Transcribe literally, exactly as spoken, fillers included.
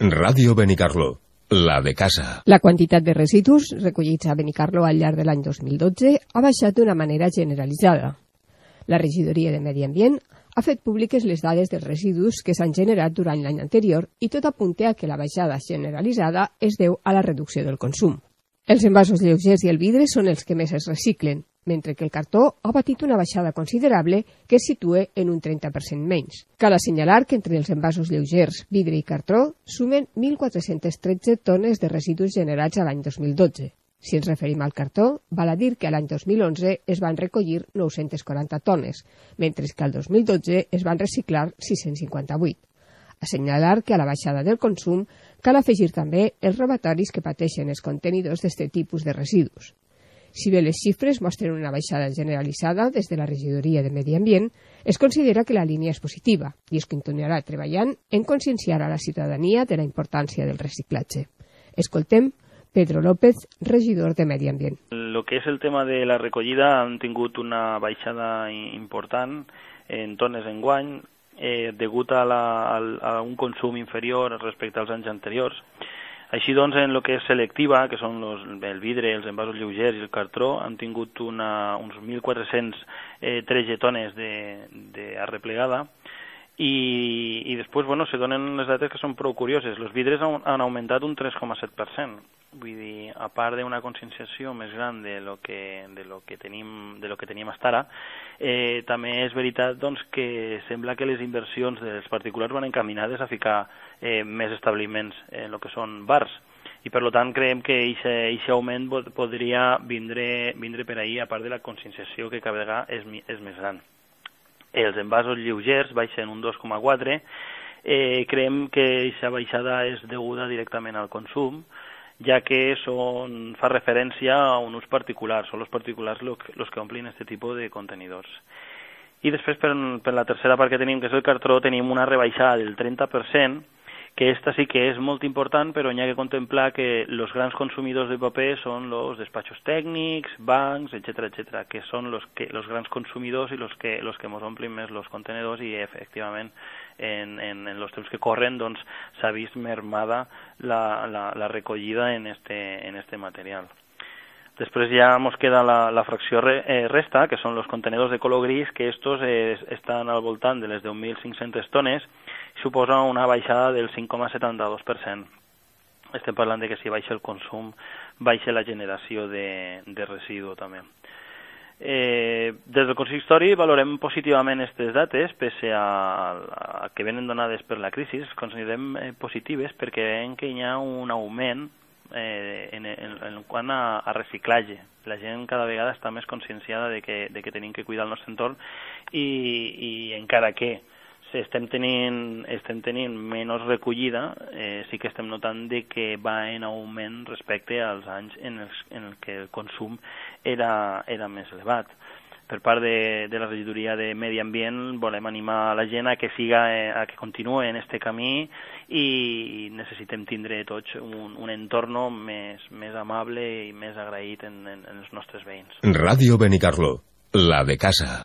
Ràdio Benicarló, la de casa. La quantitat de residus recollits a Benicarló al llarg de l'any dos mil dotze ha baixat d'una manera generalitzada. La regidoria de Medi Ambient ha fet públiques les dades dels residus que s'han generat durant l'any anterior i tot apunta a que la baixada generalitzada es deu a la reducció del consum. Els envasos lleugers i el vidre són els que més es reciclen, mentre que el cartó ha patit una baixada considerable que es situa en un trenta per cent menys. Cal assenyalar que entre els envasos lleugers, vidre i cartó sumen mil quatre-cents tretze tones de residus generats a l'any dos mil dotze. Si ens referim al cartó, val a dir que l'any dos mil onze es van recollir nou-centes quaranta tones, mentre que al dos mil dotze es van reciclar sis-cents cinquanta-vuit. Assenyalar que a la baixada del consum cal afegir també els robatoris que pateixen els contenidors d'aquest tipus de residus. Si bé les xifres mostren una baixada generalitzada des de la regidoria de Medi Ambient, es considera que la línia és positiva i es continuarà treballant en conscienciar a la ciutadania de la importància del reciclatge. Escoltem Pedro López, regidor de Medi Ambient. Lo que és el tema de la recollida han tingut una baixada important en tones enguany, eh, degut a, la, a, a un consum inferior respecte als anys anteriors. Així doncs, en el que és selectiva, que són los, el vidre, els envasos lleugers i el cartró, han tingut una, uns mil quatre-cents tretze tones d'arreplegada i, i després, bueno, se donen les dates que són prou curioses. Els vidres han, han augmentat un tres coma set per cent. Vull dir, a part d'una conscienciació més gran de lo que, de lo que tenim, de lo que teníem fins ara, eh, també és veritat doncs, que sembla que les inversions dels particulars van encaminades a ficar eh, més establiments en el que són bars. I per tant creiem que aquest augment podria vindre, vindre per ahir, a part de la conscienciació que cada vegada és, és més gran. Els envasos lleugers baixen un dos coma quatre, eh, creiem que aquesta baixada és deguda directament al consum, ja que son, fa referència a un ús particular, són els particulars els que omplin aquest tipus de contenidors. I després, per, per la tercera part que tenim, que és el cartró, tenim una rebaixada del trenta per cent, que esta sí que és molt important, però n'hi ha que contemplar que els grans consumidors de paper són els despatxos tècnics, bancs, etcètera, etcètera, que són els que, los grans consumidors i els que, los que ens omplin més els contenidors i, efectivament, en, en, en els temps que corren doncs, s'ha vist mermada la, la, la recollida en este, en este material. Després ja ens queda la, la fracció re, eh, resta, que són els contenidors de color gris, que estos eh, estan al voltant de les deu mil cinc-centes tones, suposa una baixada del cinc coma setanta-dos per cent. Estem parlant de que si baixa el consum, baixa la generació de, de residu també. Eh, des del consistori valorem positivament aquestes dates, pese a, a que venen donades per la crisi, les considerem eh, positives perquè veiem que hi ha un augment eh, en, en, en quant a, a reciclatge. La gent cada vegada està més conscienciada de que, de que tenim que cuidar el nostre entorn i, i encara que estem tenint, estem tenint menys recollida, eh, sí que estem notant de que va en augment respecte als anys en els en el que el consum era, era més elevat. Per part de, de la regidoria de Medi Ambient volem animar la gent a que siga, eh, a que continuï en este camí i necessitem tindre tots un, un entorn més, més amable i més agraït en, en, en els nostres veïns. Ràdio Benicarló, la de casa.